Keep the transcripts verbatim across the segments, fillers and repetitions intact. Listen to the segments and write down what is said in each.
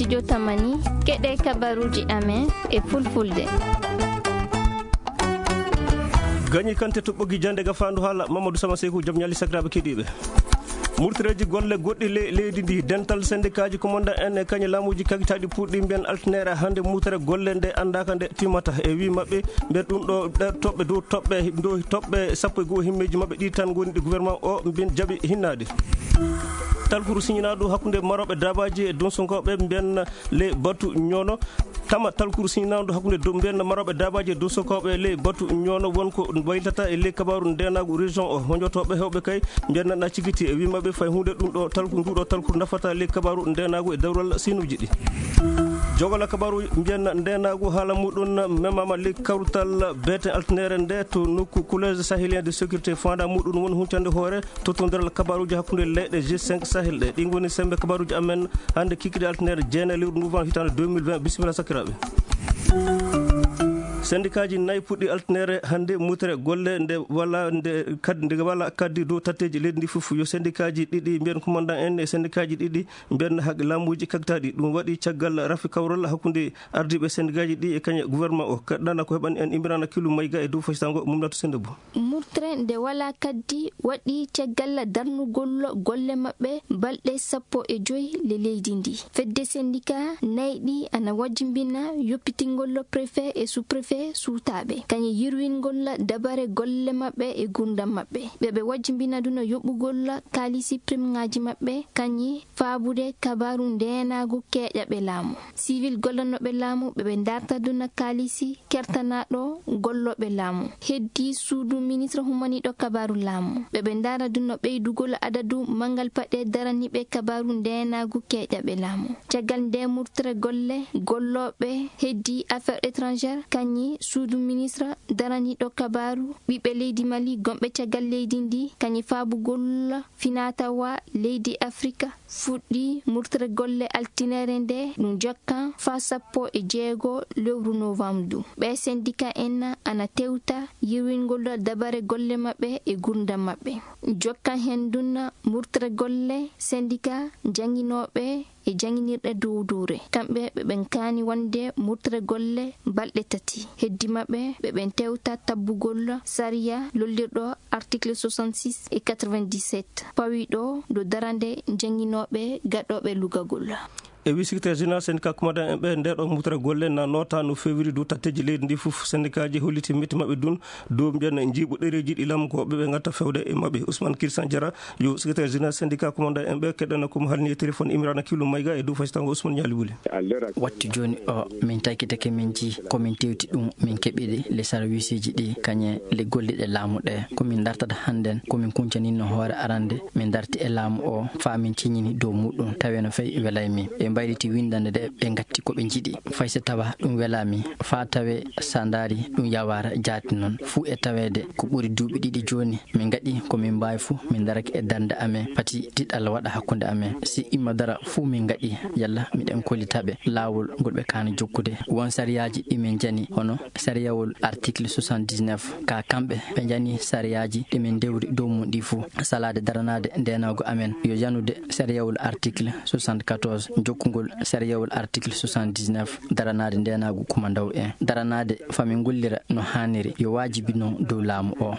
Jotamani, keɗee kabaruuji amen e fulfulde. Gañi kante to ɓoggi jannde gafaandu haala Mamadou Sama Seyku, jam ñalli sakiraaɓe keɗiiɓe. Murtireeji golle goɗɗi ley leydi ndi, dental sendikaaji komandan en e kañe laamuuji kagitaaɗi puɗɗi mbiyen altinere hannde murtere golle nde anndaaka nde timmata. E wii maɓɓe mbiyen ɗum ɗo ɗe toɓɓe dow toɓɓe dow toɓɓe sappo e goo himmeeji maɓɓe ɗi tan ngoni ɗi gouvernement o mbiyen jaɓi hinnaade. Talkuru siñinaaɗo hakkunde marooɓe daabaaji e dunsunkooɓe mbiyen ley batu ñoono. Tama talkuru siñinaaɗo hakkunde dow mbiyen marooɓe daabaaji e dunsunkooɓe ley batu ñoono won ko waylitata e ley kabaaru ndeenaagu région o. Honjotooɓe heewɓe kay mbiyen na cigiti e wii maɓɓe fay huunde ɗum ɗo talku, ndu ɗo talkuru nafata ley kabaaru ndeenaagu e dawral sinuuji ɗi. Jogola kabaaru mbiyen ndeenaagu haala muɗum memaama ley kawtal beeten altinere nde to nokku Collège Sahélien de Sécurité. Faandaa muɗum woni huncande hoore tottondiral kabaaruuji hakkunde leyɗe G cinq Sahel ɗe. Ɗi ngoni semmbe kabaaruuji amen hannde kikiiɗe altinere jeenayi lewru novembre hitaande deux mille vingt. Bisimilla sakiraaɓe. Sendikaaji nayi puɗɗi altinere hannde mutere golle nde wala nde kad-, nde wala kaddi dow tatteeji leydi ndi fof. Yo sendikaaji ɗiɗi mbiyen komandan en e sendikaaji ɗiɗi mbiyen haq-, laamuuji kagtaaɗi. Ɗum waɗi caggal rafi kawral hakkunde ardiiɓe sendikaaji ɗi e kañe gouvernement o. Kaɗɗana ko heɓani en Imrana Kilu Mayga e dow faysango Mumnatu Sendebo. Murtre nde walaa kaddi waɗi caggal darnugol golle maɓɓe balɗe sappo e joy le leydi ndi. Fedde sendika nayi ɗi ana wajjimbina yoppitingol préfet e sous-préfet suutaaɓe, kañum yirwingol dabare golle maɓɓe e gurdam maɓɓe. Ɓe ɓe wajjimbina duna yoɓugol kaalisi primŋaaji maɓɓe, kañum faabude kabaaru ndeenaagu keeƴaɓe laamu. Sivil gollanooɓe laamu ɓe ɓe ndarta duna kaalisi kertanaaɗo gollooɓe laamu. Heddii suudu ministre humaniiɗo kabaaru laamu. Ɓe ɓe ndaara duna ɓeydugol adadu manngal paɗe daraniiɓe kabaaru ndeenaagu keeƴaɓe laamu. Caggal ndee murtere golle, gollooɓe heddii affaires étrangères, kañum suudu ministre daraniiɗo kabaaru ɓiɓɓe leydi Mali gonɓe caggal leydi ndi, kañum faabugol finaa-tawaa leydi Afrika fuɗɗii murtere golle altinere nde, ɗum jokkan faa sappo e jeego lewru novembre ndu. Ɓee sendika en ana tewta yirwingol dabare golle maɓɓe e gurdam maɓɓe. Jokkan heen ndun murtere golle sendika jannginooɓe e jannginirɗe dowduure. Kamɓe ɓe ɓen kaani wonde murtere golle balɗe tati. Heddi maɓɓe ɓe ɓen tewta tabbugol sariya lollirɗo article soixante-six e quatre-vingt-dix-sept, pawiiɗo dow darande jannginooɓe gaɗooɓe lugagol. E wii secrétaire général syndicat commandant en ɓe, ndee ɗoo murtere golle na nootaa no feewiri dow tatteeji leydi ndi fof. Syndikaaji holliti mette maɓɓe dun dow mbiyen njiiɓu ɗereeji ɗi laamu ko ɓe ɓe ngatta feewde e maɓɓe. Ousmane Christian Diarra, yo secrétaire général syndicat commandant en ɓe, keɗɗana ko mo haalni e téléphone Imrana Killu Mayga e dow faysango Ousmane Ñaali Wuli. Wattu jooni o, min taykitake, min njii ko min tewti ɗum, min keɓi ɗi le sarwiisiji ɗi, kañe le golliɗe laamu ɗe. Ko min dartata hannden, ko min kuncaninno hoore arande, min darti e laamu o, faa min ceñini dow muɗum, tawe no fay welay mi. Ɓe mbayliti winndannde nde, ɓe ngatti ko ɓe njiɗi. Fay so tawa ɗum welaa mi, faa tawe so ndaari ɗum yawaara jaati non. Fuu e taweede ko ɓuri duuɓi ɗiɗi jooni, min ngaɗi ko min mbaawi fuu, min darake e darnde amen, pati tiɗal waɗa hakkunde amen. Si imma dara fuu min ngaɗi, yalla miɗen kollita ɓe laawol ngol ɓe kaani jokkude. Won sariyaaji ɗi min njani, hono sariyawol article soixante-dix-neuf, ka kamɓe ɓe njani sariyaaji ɗi min ndewri dow mum ɗi fuu. Salaade daranaade ndeenaagu amen yo yanude sariyawol article soixante-quatorze, jokkugol sariyawol article soixante-dix-neuf, daranaade ndeenaagu kumandaw en, daranaade faa min ngollira no haaniri, yo waajibi non dow laamu o.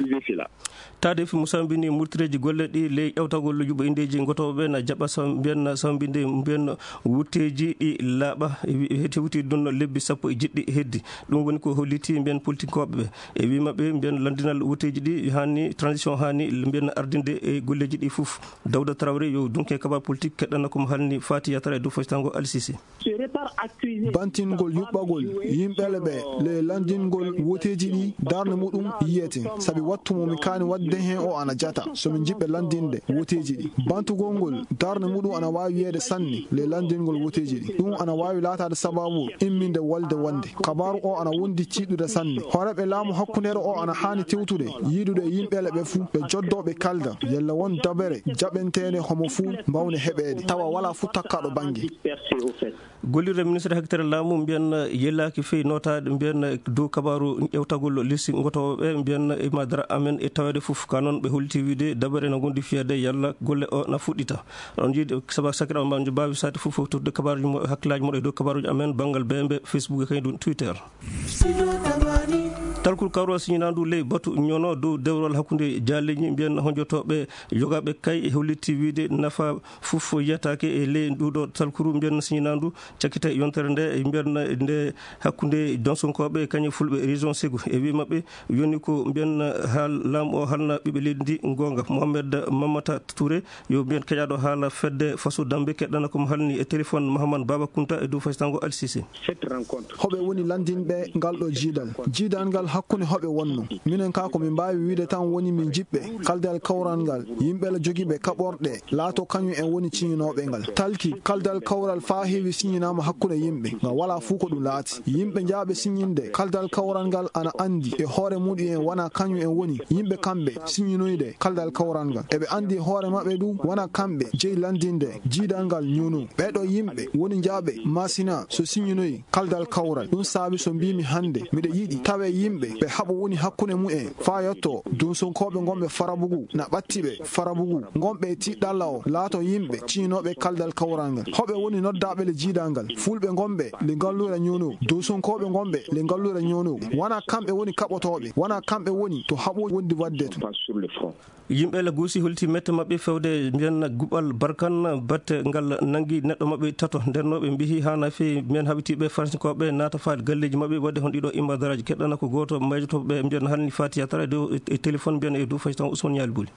Taade fi mo sambini murtireeji golle ɗi ley ƴawtagol yuɓɓo inndeeji ngotooɓe na jaɓa sam-, mbiyen na sambinde mbiyen wutteeji ɗi laaɓa, e wi-, e tewti ɗum no lebbi sappo e jeɗɗi heddi. Ɗum woni ko holliti mbiyen politikkooɓe ɓe. E wii maɓɓe mbiyen lanndinal wutteeji ɗi haani, transition haani mbiyen ardinde e golleeji ɗi fof. Dawda Traoré yo dunke kabar politique keɗɗana ko mo haalni Fati Yatara e dow faytango Al Sisi. Bantingol yuɓɓagol yimɓe ɓe le lanndingol woteeji ɗi darnde muɗum yiyete, sabi wattu mo mi kaani waɗde heen o ana jata, so min njiɗɓe lanndinde woteeji ɗi. Bantugol ngol darnde muɗum ana waawi wiyeede sanne le lanndingol woteeji ɗi. Ɗum ana waawi laataade sababu imminde wolde wonde. Kabaaru o ana wondi tiiɗude sanne. Hooreeɓe laamu hakkundeere o ana haani tewtude, yiidude e yimɓe ɓe fuu, ɓe joddoo ɓe kaalda, yalla won dabere jaɓanteende homo fuu mbaawnde heɓeede, tawa walaa fuu takkaaɗo bannge. percée au fait. Gollirde ministre hakkitare laamu mbiyen yelaaki fey nootaade mbiyen dow kabaaru ƴewtagol lisi ngotoowo ɓe mbiyen e madara amen e taweede fof ka noon ɓe holti wiide dabere no ngondi fiyade yalla golle o na fuɗɗita. On jiidi saba sakira on mbaawi saati fof fottude kabaaruji mo hakkilaaji moɗo e dow kabaaruji amen banngal B M B, Facebook e kañum Twitter. Talkuru kawral siñinaandu ley batu ñono dow dewrol hakkunde jaaleeji mbiyen honjotooɓe yogaaɓe kay e hollitti wiide nafa fof yiyataake e ley nduuɗo talkuru mbiyen siñinaandu cakkite yontere nde mbiyen nde hakkunde donsonkooɓe kañum fulɓe région Ségou e wii maɓɓe yoni ko mbiyen haal laamu o halna ɓiɓɓe leydi ndi goonga. Mohamed Mamata Touré yo mbiyen keƴaaɗo haala fedde faso dambe keɗɗana ko mo halni e téléphone Mahamane Baba Kunta e dow faytango Alsise. Cette rencontre. Hoɓe woni lanndinɓe ngal ɗo jiidal? Jiidal ngal hakkunde hoɓe wonno? Minen kaa ko min mbaawi wiide tan woni min njiɗɓe kaldal kawral ngal yimɓe la jogiiɓe kaɓorɗe laato kañum en woni ciñinooɓe ngal. Talki kaldal kawral faa heewi siñinaama hakkunde yimɓe ngal walaa fuu ko ɗum laati. Yimɓe jaaɓe siñinde kaldal kawral ngal ana anndi e hoore muɗum en wonaa kañum en woni yimɓe kamɓe siñinoyde kaldal kawral ngal. Eɓe anndi e hoore maɓɓe ɗum wonaa kamɓe jeyi lanndinde jiidal ngal ñono. Ɓee ɗoo yimɓe woni jaaɓe maasina so siñinoyi kaldal kawral. Ɗum saabi so mbiimi hannde miɗo yiɗi tawe yimɓe ɓe haɓo woni hakkunde mumen faa yotto donsonkooɓe ngonɓe Farabugu na ɓatti ɓe Farabugu ngonɓe e tiiɗalla o laato yimɓe ciñinooɓe kaldal kawral ngal. Hoɓe woni noddaaɓe le jiidal ngal? Fulɓe ngonɓe le ngalluure ñono, donsonkooɓe ngonɓe le ngalluure ñono. Wonaa kamɓe woni kaɓotooɓe, wonaa kamɓe woni to haɓo wondi waɗde to. Yimɓe la guusi holti mette maɓɓe fewde mbiyen guɓal barkan batte ngal nangi neɗɗo maɓɓe tato ndennooɓe mbihi haana fii mbiyen haɓitiiɓe faransinkooɓe naata faade galleeji maɓɓe waɗde hon ɗiɗo imma daraaji keɗɗana ko gooto mayjotooɓe mbiyen halni fatiya tara e dow e téléphone mbiyen e dow faytan Ousmane Ñaali Buli.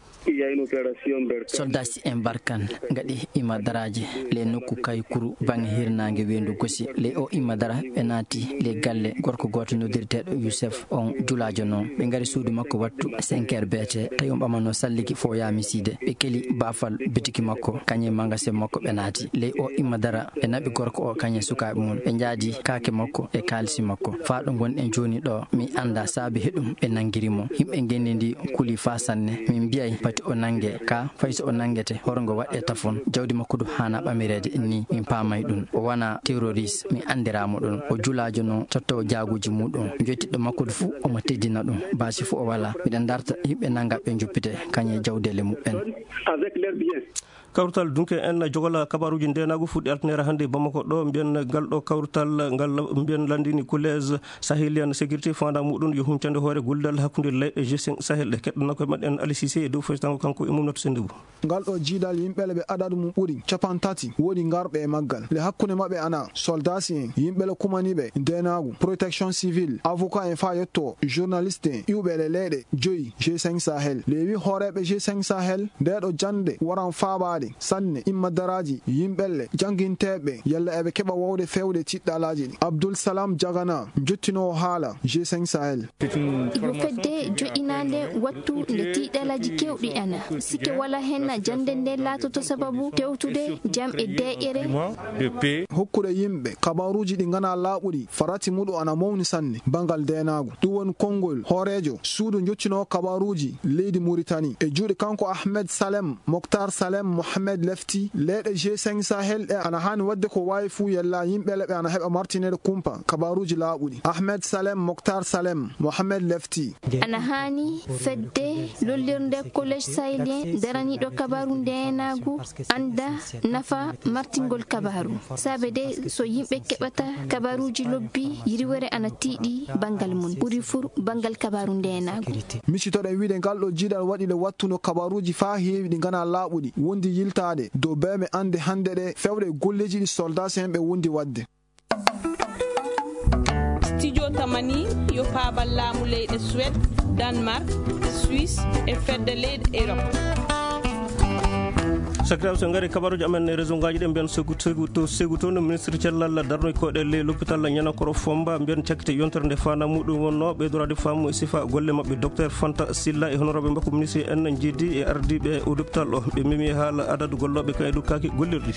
Soldasi en barkan ngaɗi imma daraaji le nokku kay kuru bange hirnaange weendu gosi le o imma dara ɓe naati le galle gorko gooto noddirteeɗo Youssef. On julaajo noon ɓe ngari suudu makko wattu cinq heures beete tawi on ɓamanoo salligi fo yaami siide ɓe keli baafal bitiki makko kañe magasin makko ɓe naati ley o imma dara ɓe naɓi gorko o kañe sukaaɓe mum ɓe njaadi kaake makko e kaalisi makko faa ɗo ngonɗen jooni ɗo mi annda saabi heɗum ɓe nanngiri mo yimɓe ngenndi ndi kuli faa sanne min mbiyay pati o nannge ka fay so o nanngete horongo waɗɗe tafon jawdi makko du haana ɓamireede ni min paamay ɗum o wana terroriste mi anndiraama ɗum o julaajo noon tottoowo jaaguuji muɗum jottiɗɗo makko du fuu omo teddina ɗum baasi fuu o wala miɗa darta yimɓe nannga ɓe njoppite kañe jawdeele muɓɓen. Kawrital dunke en jogola kabaruuji ndeenaagu fuɗɗi altinere hannde bamako ɗo mbiyen ngal ɗo kawrital ngal mbiyen lanndini collège sahelian sécurité fanda muɗum yo huncande hoore gollidal hakkunde leyɗe g cinq sahel ɗe keɗɗana koye maɗɗen alisise e dow faytango kanko e mum noto sennde bu. Ngal ɗo jiidal yimɓe le ɓe adadu mum ɓuri capantati woni ngarɓe e maggal le hakkunde maɓɓe ana soldasi en yimɓe le kumaniɓe ndenaagu protection civile avocat en faa yetto journaliste en iwɓe le leyɗe joyi g cinq sahel lewi hooreɓe g cinq sahel nde ɗo jannde waran faabaade sanne imma daraaji yimɓelle jannginteeɓe yalla eɓe keɓa wowde fewde tiɗɗalaaji ɗi abdoul salam jagana jottinoowo haala g cinq sahel. Yo fedde joɗɗinaande wattu nde tiiɗalaaji keewɗi ana sike wala henna jannde nde laatoto sababu tewtude jam e deeƴere. Hokkude yimɓe kabaruuji ɗi nganaa laaɓuɗi farati muɗum ana mawni sanne banngal ndeenaagu ɗum woni konngol hooreejo suudu njottinoo kabaruuji leydi muritani e juuɗe kanko ahmed salem moktar salem mohamed lefti leyɗe g cinq sahel ɗe ana haani waɗde ko waawi fuu yalla yimɓe le ɓe ana heɓa martineede kumpa kabaruuji laaɓuɗi ahmed salem moktar salem mohamed lefti. Ana haani fedde lollirde collège sahélien daraniiɗo kabaaru ndeenaagu annda nafa martingol kabaaru saabe de so yimɓe keɓata kabaaruuji lobbi yiriwere ana tiiɗi banngal mum ɓuri fur banngal kabaaru ndeenaagu. Misitoɗen wiide ngal ɗo jiiɗal waɗi le wattuno kabaruuji faa heewi ɗi nganaa laaɓuɗi wondi yiltaade dow beeme annde hannde ɗe fewde e golleeji ɗi soldaasi en ɓe wondi waɗde. Studio Tamani yo paabal laamu leyɗe Suwed, Danmark, Suisse e fedde leyɗe Erop. Sakiraaɓe so ngari kabaruuji amen e réseau ngaji ɗe mbiyen segu segu to segu to no ministre cellal darnoy koɗe ley l'hôpital ñanakoro fomba mbiyen cakkite yontere nde fana muɗum wonno ɓeydoraade faamu e sifa golle maɓɓe docteur fanta silla e honorable mbakko ministre en jiidi e ardiiɓe e hôpital o ɓe memi haala adadu gollooɓe kan e dukkaki gollirɗi.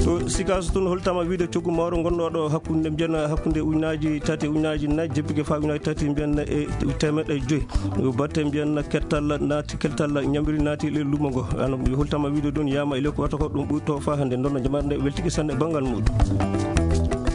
To sikaso tun holtama wiide coggu mawɗo gonɗo ɗo hakkunde mbiyana hakkunde ujunaji tati e ujunaji nayi jeppike fa ujunaji tati mbiyan e temeɗɗe joyi batte mbiyan kettal naati keltal ñambiri naati le lumo ngo. Hultama wiide ɗum yama e leydi ko wata ko ɗum ɓuri to fa hannde ndonno jamaare nde weltiki sanne banngal muɗum.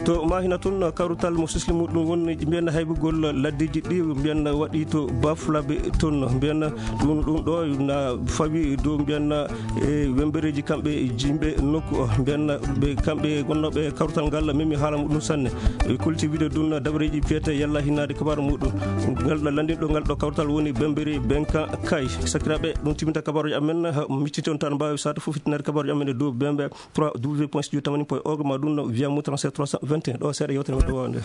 To Mahina tun, kawrutal mo sisli muɗum woni mbiyanna haybugol laddeji ɗi mbiyanna waɗi to Bafulabe tun. Mbiyanna ɗum, ɗum ɗo na fawi dow mbiyanna e wembereji kamɓe jimɓe nokku o. Mbiyanna ɓe kamɓe gonnooɓe kawrutal ngal memi haala muɗum sanne. Ɓe kulti wiide ɗum dabareji piyete yalla hinnaade kabaru muɗum. Ngal ɗo lanndinɗo ngal ɗo kawrutal woni Bembere Benka Kay. Sakiraaɓe, ɗum timinta kabaruuji amen. Ha, micciti on tan mbaawi sato fof fittinaade kabaruuji amen e dow bembe trois w point studio tamani point org ma ɗum no via mo trente-sept trois cent vingt et un. Ɗo seeɗa yewtere men ɗo waawande.